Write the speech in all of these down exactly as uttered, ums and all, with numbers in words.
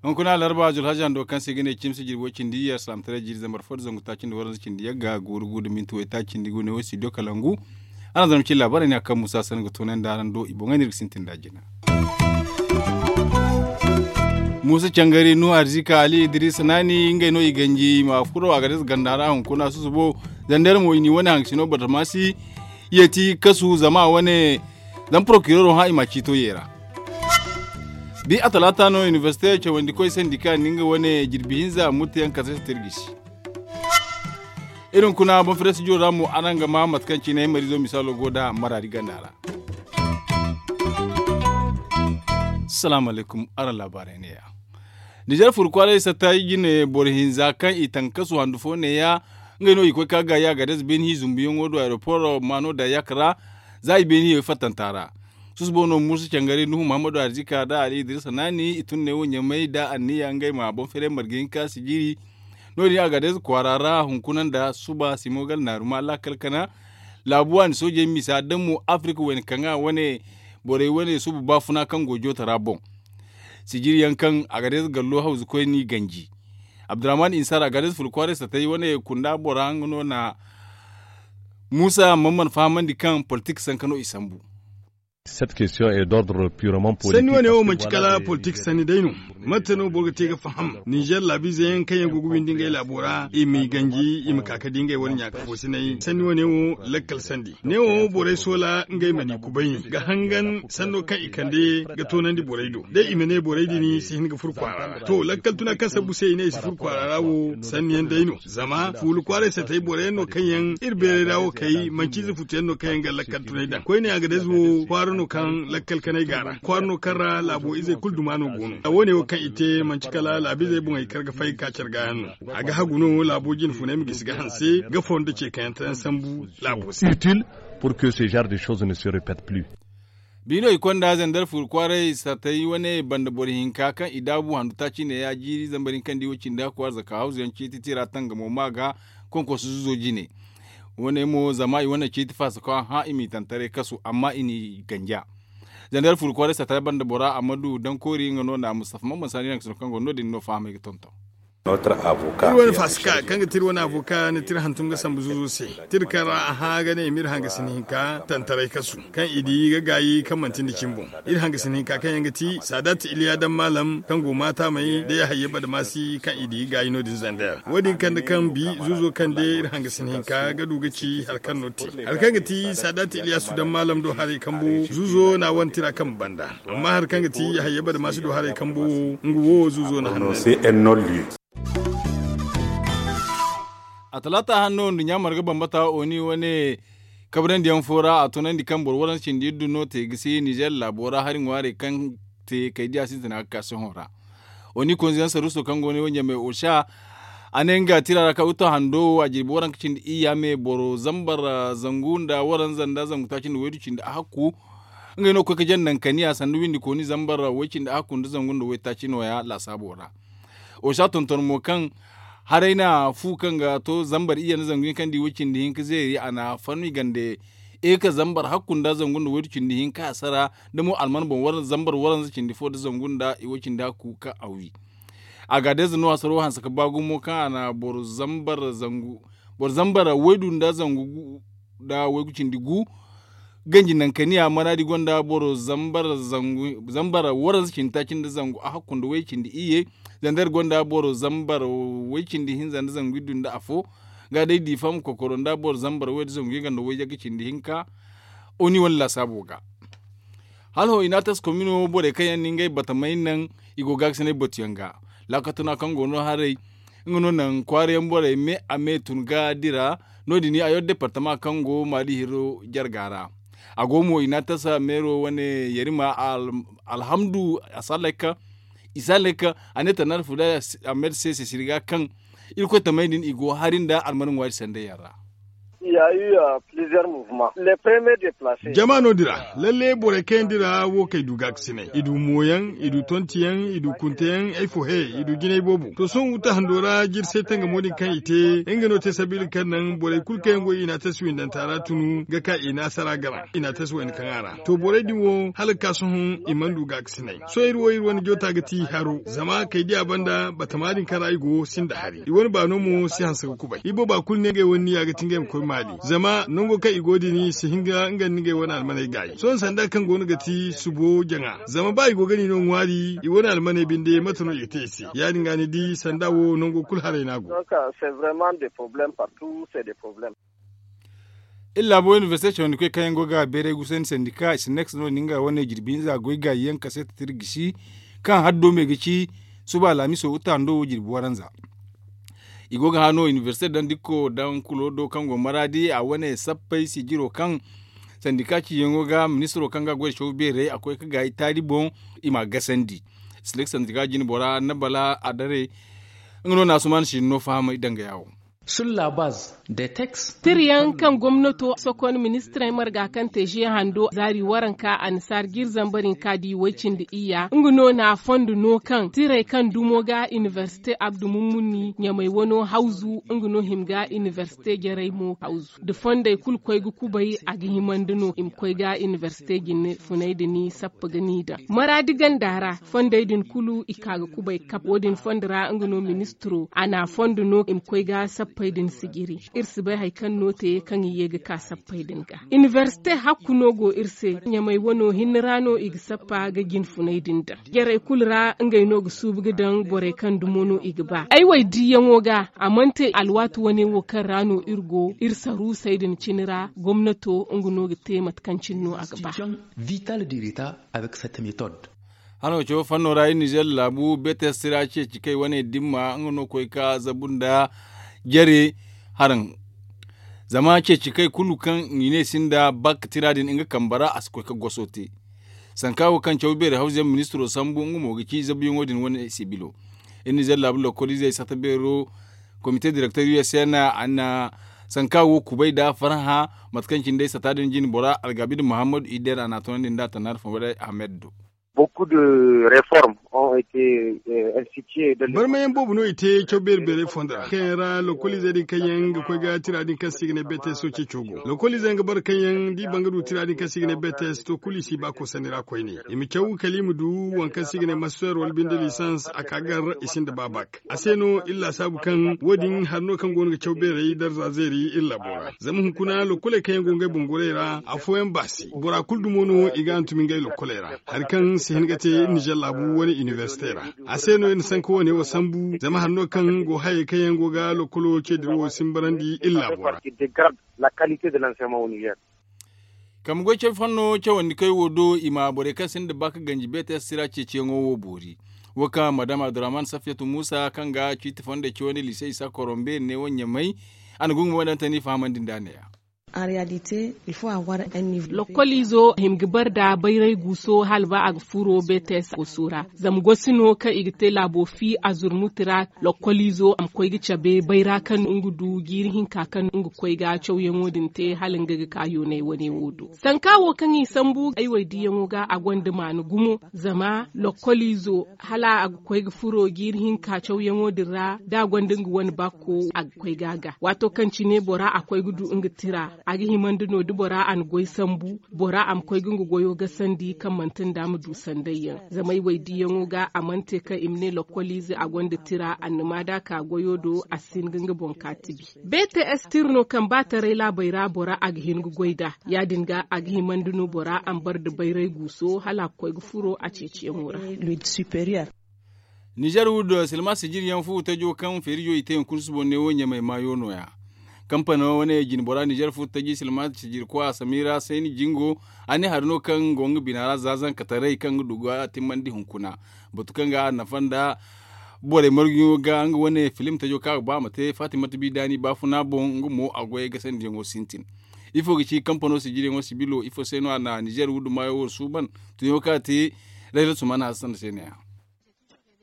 Hunkuna alarba julhaji hando kaŋ se ga ne cimsi jirbi way cindi iyye alsilaamataray jiiri zambar fo nda zangu taaci nda waranza cindi yagga guuru gu nda minti way taaci nda gu ne wo studio kalangu. Araŋ zama cine laabaarey ne a kaŋ muusa sanda ga toonandi araŋ do i boŋey no iri ga sintin nd'a jina. Muusa cangari nuhu arzika ali idris naani ngey no i ganji i ma furo a ga day za ganda ra hunkuna susubo. Zandar mo i n'i wane hangasino bartamaasi yeeti kasu zama a wane zama porokiroro hã i m'a ciito yeera. Bi a talaata no inibersite cawandikoy sandika nda nga wane jirbi hinza murtayaŋ kate se tirgisi. Iri hunkuna banfirestijo ra mo araŋ ga maa mate kaŋ cine ay mariizo misaalo go nd'a maraadi ganda ra. Salaamu alaykum araŋ laabaarey neeya. Nizer furu kwaaray satta i jine boro hinza kaŋ i taŋ kasu handu fo neeya. Ngey no i koy ka gaayi a ga day za beeni hi zumbuyaŋo do aeroporo maano da yakka ra. Za i beeni hiyey fattanta ra susubo no muusa cangari nuhu muhammadu arzika nda ali idirisa naani i tun ne wo ɲamay nda anniya ngey ma boŋ feeray marga hinka sijiri. No- din a ga day za kwaara ra hunkuna nda suba simo gala naaruma laakal kana laabu waani soojey misa da mo afirika wayna kaŋa wane borey wane suba baafuna kaŋ go jootara boŋ. Sijiri yaŋ kaŋ a ga day za gallo hawzu koyni ganji. Abdurrahman insar a ga day za furu kwaaray satay wane kunda bora nga no na muusa mamman fahamandi kaŋ politik sanka no i sambu. Sanni wane wo manci kala politik sanni day no. Mate no boro ga te ga faham nizer laabiize yaŋ kaŋ yaŋ go ga windi ngey laabo ra i m'i ganji i ma ka ga di ngey wane ɲaaka foosinay sanni wane wo lakkal sandi ne wo borey soola ngey ma n'i kubay ga hangan sanno kaŋ i kande ga toonandi borey do day i ma ne borey din si hin ga furo kwaara ra to lakkal tuna kaŋ sambu se i ne i si furo kwaara ra wo sanni yaŋ day no zama fuula kwaaray satay boro yaŋ no kaŋ yaŋ iri beeray ra wo kay manci ize futu yaŋ no kaŋ yaŋ ga lakkal tunay daŋ koyne a ga day ize wo kwaara no kaŋ lakkal kanay ga a ra kwaara no kaŋ ra laabo izey kulu duma no go no a wo- ne wo kaŋ i te manci kala laabiizey boŋey kar ga fay ga ka care ga yaŋ no. A ga hagu no laabo jine funay ma gisi ga hanse ga fondo ce kaŋ yaŋ tayaŋ sambu laabo se. Biino i konda zandar fuuru kwaaray satay wane banda boro hinka kaŋ i daabu handu taaci neeya jiiri zambar hinka nda i wo cindi hakku arzaka hawzu yaŋ ciiti tira tangamo ma ga konkoso zuzo jine. Wane mo zama i wane ciiti faasa kaŋ a hã i m'i taŋ taray kasu amma i n'i ganja. Zandar fuuru kwaaray satay banda bora ammadu dankoori nga no na mustafa mamman saani naŋ ga sino kaŋ go no- din no fahamay ga tonton. Iri wane faasika kaŋ ga ti iri wane avoka ni tira hantum ga sambu zuzo se tira kaŋ ra a hã ga ne i ma iri hangasi ni hinka tantaray kasu kaŋ i di ga gaayi kaŋ manti nda cimboŋ. Iri hangasi ni hinka kaŋ yaŋ ga ti saadat iliya daŋ maalam kaŋ go maataamey da yahayya badamaasi kaŋ i di ga gaayi no- din zander wo- din kande kaŋ bi zuzo kande iri hangasi ni hinka ga du ga ci hari kaŋ no te hari kaŋ ga ti saadat iliyasu daŋ maalam do haray kambo zuzo na wane tira kaŋ banda. Amma hari kaŋ ga ti yahayya badamaasi do haray kambo wo nga wo zuzo na hanno. A talaata hanno nduɲɲa marga bambata oni wane kabrandi yaŋ fo ra a tunandi kaŋ boro waransa cindi iri du no te ga si nizer laabo ra hari ŋwaarey kaŋ te kay diya sintina ga ka sohõ ra. Oni konziyaŋ saruuso kaŋ go no ɲamay osha a ne nga tira ra kaŋ uta hando wo a jirbi waranka cindi iyya me boro zambar zangu nda waranza nda zangu taaci nda waydu cindi a hakku. Ngey no ga koy ga janda nankaniya sanda windi kooni zambar way cindi a hakku nda zangu nda waytaaci nooya laasaabo ra. Osha tonton mo kaŋ haray na fu kaŋ ga to zambar iyye nda zangu hinka nda i way cindi hinka zeeri a na fannu i gande eka zambar hakku nda zangu nda waydu cindi hinka a sara da mo alman boŋ zambar waranza cindi fo nda zangu nda i way cindi hakku kaŋ a wi. A ga day za no hasaro hanse ga ba gumo kaŋ a na boro zambar zangu boro zambar waydu nda zangu nda waygu cindi gu. Ganji nankaniya manaadi gonda boro zambar zangu zambar waranza cindi taaci nda zangu a hakku nda way cindi iyye. Zandar gonda boro zambar way cindi hinza nda zangu iddu nda afo. Ga day difa ma kokoro nda boro zambar way nda zangu yagga nda way yagga cindi hinka. Oni wane laasaabo ga hala ho i na a tasi komino borey kaŋ yaŋ na ngey batamey naŋ i go ga ga sinay batuyaŋ ga. Laakatuna kaŋ go no haray nga no naŋ kwaarayaŋ borey me a me tun ga dira. No- din a yar departama kaŋ go maali hiro jarga ra. A go mo i na a tasa meero wane yarima alhamdu asalek. Isalek a ne tanaar fula ahmed se sisiri ga kaŋ irkoy tamey din i go hari nda almani ŋwaari sanday yaŋ ra. Jama no dira lalle borey kaŋ yaŋ dira wo kay du gaakasinay i du mooyaŋ, i du tontiyaŋ, i du kunteyaŋ ay fo he, i du jinay boobo to sohõ wuta hando ra jiri se tangamo din kaŋ i te. Nga no te sabiila kaŋ naŋ borey kulu kaŋ yaŋ go i na a tasi windanta ra tunu ga ka i na a sara gana i na a tasi wayna kaŋ a ra. To borey din wo hala ga ka sohõ i mana du gaakasinay. Sohõ iri wo iri wane joota ga ti haro zama kay diya banda batama din kaŋ ra i go sinda hari i wane baano mo si hanse ga kubay ibooba kulu ne ngey wane niya ga ti ngey ma koy maali zama nango kaŋ i go din si hin ga nga nda ngey wane almaney gaayi sohõ sanda kaŋ go no ga ti subo jaŋa zama ba i go ga ni no ŋwaari i wane almaney binde mate no i ga te i se ya- din ga ni di sanda wo nango kulu haray no a go. Iri laabo inibersite cawandi koy kaŋ yaŋ go ga beeray gusandi sandika i si nex no ni nga wane jirbi hinza goy gaayi yaŋ kaseeta tira gisi kaŋ haddo me ga ci suba alhamiso wuta hando wo jirbi waranza. I go ga hã no inibersite daŋ dikko daŋ kulo do kaŋ go maraadi a wane sappey sijiro kaŋ sandika ciyaŋo ga ministiro kaŋ ga goy caw beerey a koy ga gaayi taali boŋ i m'a gasandi. Silek sandika jine bora na bala a dare nga no na asuman si no fahamay danga yawo. Tirayaŋ kaŋ gomnato sokon ministirey marga kaŋ te ze hando zaari waranka annasaari g'iri zambar hinka di way-cindi iyya nga no na a fondo no kaŋ tirey kaŋ dumo ga inibersite abdu mummuni ɲamey wano hawzu nga no hima ga inibersite jarey mo hawzu nda fondey kulu koy ga kubay a ga himandi no i ma koy ga inibersite jine funay din sappa ga n'i daŋ maraadi ganda ra fondey din kulu i ka ga kubay kab wo- din fondo ra nga no ministiro a n'a fondo no i ma koy ga sappey din sijiri. Iri si bay hari kaŋ no te kaŋ i ye ga ka sappey din ga inibersite hakku no go iri se ɲamey wano hinne ra no i ga sappa ga jine funay din daŋ jarey kulu ra ngey no ga suubu ga daŋ borey kaŋ dumo no i ga ba ay waydiiyaŋo ga a mana te alwaati wane wo kaŋ ra no iri go iri saruusey din cine ra gomnato nga no ga te mate kaŋ cine no a ga ba. Vital dirita avec cette méthode. Hano cawo fanno ra iri nizer laabu betes tira ceeci kay wane dimma nga no koy ka zabu nda jare haraŋ. Zama ceeci kay kulu kaŋ i ne sinda bak tira din nga kambe ra a si koy ka goso te. Sanka wo kaŋ caw beeri hawzuyaŋ ministiro sambu nga mo ga ci zabuyaŋo din wane sibilo. Iri nizer laabu lokoliizey sata beero komite direkter usn a na sanka wo kubay nda farhã. Mate kaŋ cine day sata din jine bora algabid muhammadu ider a na a toonandi nda a tannaari fo ahmed do. Barmayaŋ boobo no i te caw beeri beerey fondo ra kaŋ yaŋ ra lokoliizey din kaŋ yaŋ ga koy ga tira din kaŋ se i ga ne beteso ceeco go lokoliizey yaŋ ga bare kaŋ yaŋ da i ban ga du tira din kaŋ se i ga ne betes to kulu i si ba koosandi ra koyne i ma caw kala i ma du waŋ kaŋ se i ga ne master wala binde lisans a ka gar i sinda ba bak. A se no iri laasaabu kaŋ wo- din hari no kaŋ go no ga caw beerey darza zeeri iri laabo ra zama hunkuna lokkoley kaŋ yaŋ go ngey boŋ gorey ra afooyaŋ baasi bora kulu dumo no i ga hantum ngey lokkoley ra. Hari kaŋ si hin ga te iri nizer laabu wane inibersite ra. A se no iri na sanka wane wo sambu zama hari no kaŋ go hayey kaŋ yaŋ go ga lokkolo ce dirawo simbarandi iri laabo ra. Kambe goy caw fanno cawandi koy wo do i ma borey kaŋ sinda ba ka ganji beete sira ceeciyaŋo wo boori. Wo kaŋ madam abdurrahman safiyatu musa kaŋ ga ciiti fondey cawandi lise isa korombe ne wo ɲamay. A na gungu mo daŋ tani fahamandi nda a ne ya. Lokoliizo hima ga bare nda bayray guuso hala ba a ga furo beete goso ra zama gosi no kaŋ i ga te laabo fi a zurmuti ra. Lokoliizo a ma koy ga cabe bayra kaŋ nga du jiiri hinka kaŋ nga koy ga cawyaŋo din te hala nga ga ka yoonay wane wo do. Sanka wo kaŋ i sambu ay waydiyaŋo ga a gonda maana gumo. Zama lokoliizo hala a ga koy ga furo jiiri hinka cawyaŋo din ra da a gonda nga wane bakko a ga koy ga a ga waato kaŋ cine bora a koy ga du nga tira. A ga himandi no da bora a na goy sambu bora a ma koy ga nga goyo gasandi kaŋ manti nda a ma du sandayyaŋ. Zama ay waydiyaŋo ga a mana te kaŋ i ma ne lokoliize a gonda tira annama da a ka goyo do a si hin ga nga boŋ ka tibi. Beete estir no kaŋ ba taray laabey ra bora a ga hin ga goy nd'a. Ya- din ga a ga himandi no bora a ma bare nda bayray guuso hala a ga koy ga furo a ceeciyaŋo ra. Nizer wuddo silma sijiryaŋ fu tajo kaŋ feerijo i te hunkuna subo neewo ɲamay maayo no- ya. Kampano wane jinbora nizer fu taji silma sijirkwa samira sayni jingo. A ne hari no kaŋ go nga bina ra za zankataray kaŋ ga du ga timmandi hunkuna. Batu kaŋ ga a nafa nda borey marguyaŋo ga nga wane filim tajo kaŋ a ga ba a ma te fatimata bidaani baafuna boŋ nga mo a goyey gasandiyaŋo sintin. Ifo ga ci kampano sijiriyaŋo sibilo ifo se no a na nizer wuddo maayo wo suuban? Tunyaŋo kaŋ a te rayra sumana hassan se ne- ya.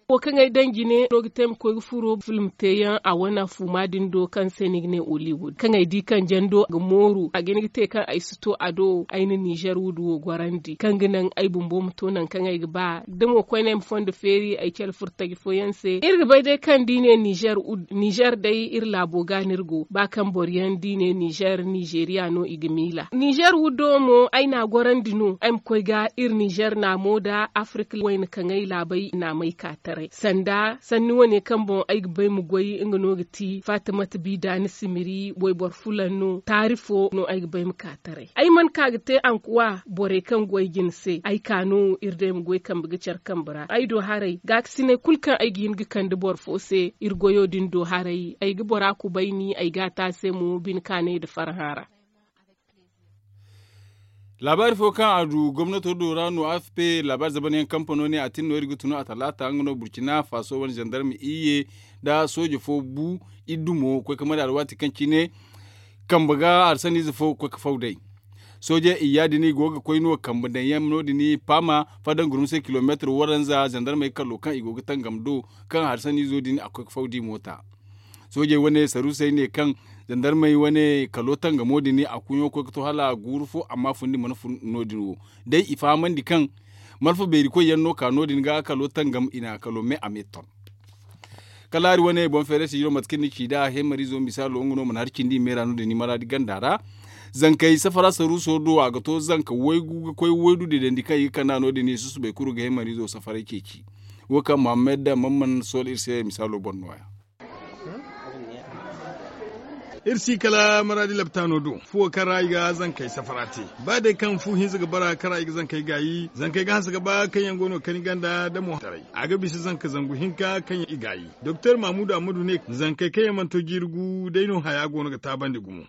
Wo kaŋ ay daŋ jine no ga te ay ma koy ga furo film teeyaŋ a wane fuuma din do kaŋ se ni ga ne hollywood kaŋ ay di kaŋ jando ga mooru a ga hin ga te kaŋ ay si to a do ay na nizer wudu wo gorandi kaŋ ga naŋ ay bumbo ma to nangu kaŋ ay ga ba da mo koyne ay ma fondo feeri ay cale furo taji fooyaŋ se iri ga bay day kaŋ da i ne nizer wudu nizer day iri laabo ga no iri go ba kaŋ boro yaŋ da i ne nizer nizeriya no i ga miila nizer wudo mo ay na a gorandi no ay ma koy ga iri nizer naamo nda afirka wayna kaŋay laabey naamey ka taray sanda sanni wane kaŋ boŋ ay ga bay ma goy nga no ga ti fatimata bi daani simiri wayboro fulaŋ no taari fo no ay ga bay ma ka taray ay mana ka ga te ankuwa borey kaŋ goy jine se ay ka no iri day ma goy kambe ga care kambe ra ay do haray gaakasinay kulu kaŋ ay ga hin ga kande boro fo se iri goyo din do haray ay ga bora kubayni ay ga a te a se mo bine kaanay nda farhã ra. Laabaari fo kaŋ a du gomnato do ra no a f p laabaari zabanyaŋ kampano ne a tin no iri ga tunu a talaata nga no burcina faso wane zandarma iyye nda sooje fo bu iddu mo koy ka mari alwaati kaŋ cine kambe ga harsaniize fo ga koy ka faw day. Sooje iyya din i go ga koy no kambe daŋ yaŋ no- din paama faddan gurmusay kilomeetir waranza zandarmey kallo kaŋ i go ga tangam do kaŋ harsaniizo din a koy ka faw da i moota. Soojey wane saruusey ne kaŋ zandarmey wane kalo tangamo din a kuuɲo koy ga to hala guuru fo amma fundi mana fun no- din wo day i fahamandi kaŋ malfa beeri koy yaŋ no ka no- din ga kalo tangam i na kalo me a me ton. Kala hari wane boŋ feere sijiro mate kaŋ ni ci nd'a hemariizo misaalo nga no mana hari cindi i meera no- din i maraadi ganda ra. Zankey safara saruuso do a ga to zanka waygu ga koy waydu deedandi kaŋ i ga kand'a no- din i susubay kulu ga hemariizo safaray ceeci. Wo kaŋ muhammad mamman sool iri se misaalo boŋ no- ya. Iri si kala maraadi laptaano do fuwo kaŋ ra i ga zankey safara te. Ba day kaŋ fu hinza ga bara kaŋ ra i ga zankey gaayi zankey ga hanse ga ba kaŋ yaŋ go no ga kani ganda da mo taray a ga bisa zanka zangu hinka kaŋ yaŋ i gaayi. Doktor mamudu ammadu ne zankey kaŋ yaŋ mana to jiiri gu day no haya go no ga taabandi gumo.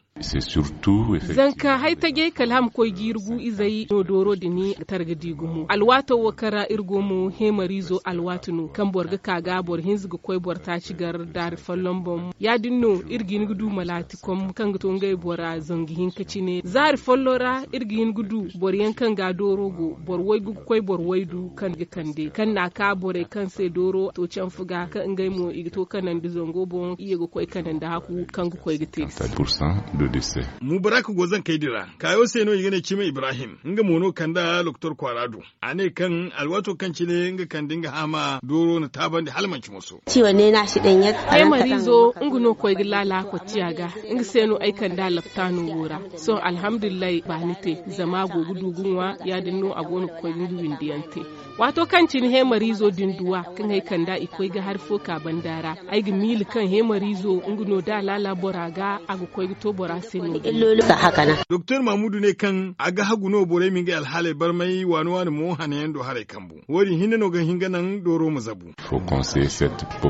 Zanka hay tajey kala a ma koy jiiri gu izey no dooro din ga tara ga di gumo alwaato wo kaŋ ra iri go mo heemariizo alwaati no kaŋ boro ga ka ga boro hinza ga koy boro taaci gar daari folloŋ boŋ ya- din no iri ga hin ga du malaati kom kaŋ ga to ngey bora zangu hinka cine zaari folloŋ ra iri ga hin ga du boro yaŋ kaŋ ga dooro go boro waygu ga koy boro waydu kaŋ ga kande kaŋ na a ka borey kaŋ se dooro to canfu ga kaŋ ngey mo i ga to kanandi zango boŋ iyye ga koy kanandi haku kaŋ ga koy ga te ga se. Mubarak go zankey din ra kaayo se no i ga ne cima ibrahim nga mo no kand'a doktor kwaara do. A ne kaŋ alwaato kaŋ cine nga kande nga haama dooro na taabandi hala manci moso. Heemariizo nga no koy ga laala kottiya ga nga se no ay kand'a laptaano wo ra. Sohõ alhamdulillahi baani te zama a go ga du ga ŋwa ya- din no a go no ga koy ga nga windiyaŋ te. Waato kaŋ cine heemariizo din duwa kaŋ ay kand'a i koy ga hari fo ka banda ra ay ga miila kaŋ heemariizo nga no da a laala bora ga a ga koy ga to bora se no- din. Doktor mamudu ne kaŋ a ga hagu no borey ma ngey alhaaley barmay waani waani mo hanayaŋ do haray kambu wo- din hinne no ga hin ga naŋ dooro ma zabu.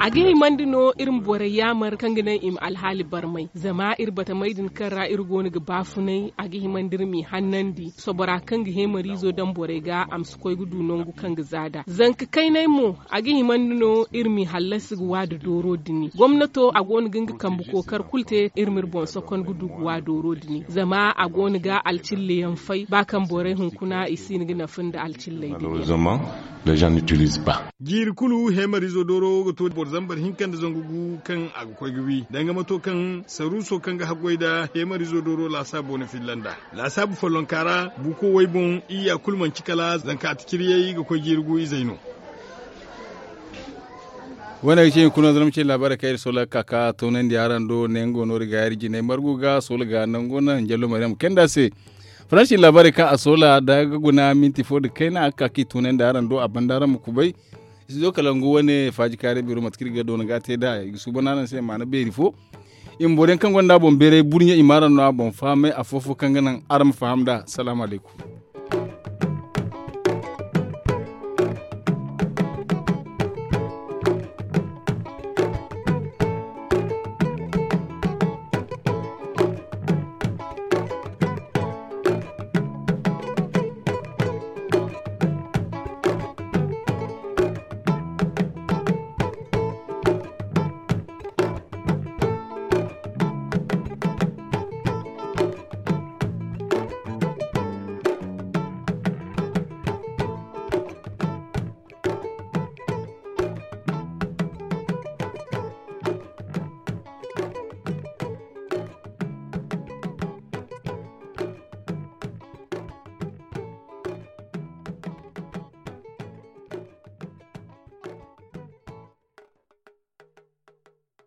A ga himandi no iri ma borey yaamar kaŋ ga naŋ i ma alhaali barmay zama iri batamey din kaŋ ra iri go no ga baafunay a ga himandi iri m'i hannandi sobora kaŋ ga heemariizo daŋ borey ga a ma si koy ga du nangu kaŋ ga za nd'a zanka kaynay mo. A ga himandi no iri m'i hallasi ga wa nda dooro dini gomnato a go no ga nga kambe kookar kulu te iri m'iri boŋ sokon ga du ga wa dooro dini zama a go no ga alcilla yaŋ fay ba kaŋ borey hunkuna i si hin ga nafa nda alcilley din yaŋ. Jiiri kulu heemariizo dooro ga to boro zambar hinka nda zangu gu kaŋ a ga koy ga wi danga mato kaŋ saruuso kaŋ ga haggoy nda heemariizo dooro laasaabo na filla nd'a. Laasaabu follonka ra buuko way boŋ iyya kulu manci kala zanka ati ciriyey ga koy jiiri gu izey no. Wane ga ce hunkuna zama ce laabaarey kaŋ iri soola ga ka ka toonandi araŋ do ne nga no iri ga iri jinay margu ga soola ga nango naŋ jallo maryam kenda se. Faransi laabaarey kaŋ a soola da ga guna minti fo nda kayna a ga ka ka i toonandi araŋ do a banda araŋ ma kubay. Studio kalangu wane faaji kaarey beero mate kaŋ iri ga doona ga te nd'a i ga suuban araŋ se maana beeri fo. I ma boro yaŋ kaŋ gonda a boŋ beeray burɲe i ma araŋ no a boŋ fahamay afo-fo kaŋ ga naŋ araŋ ma faham nd'a salaamu alaykum.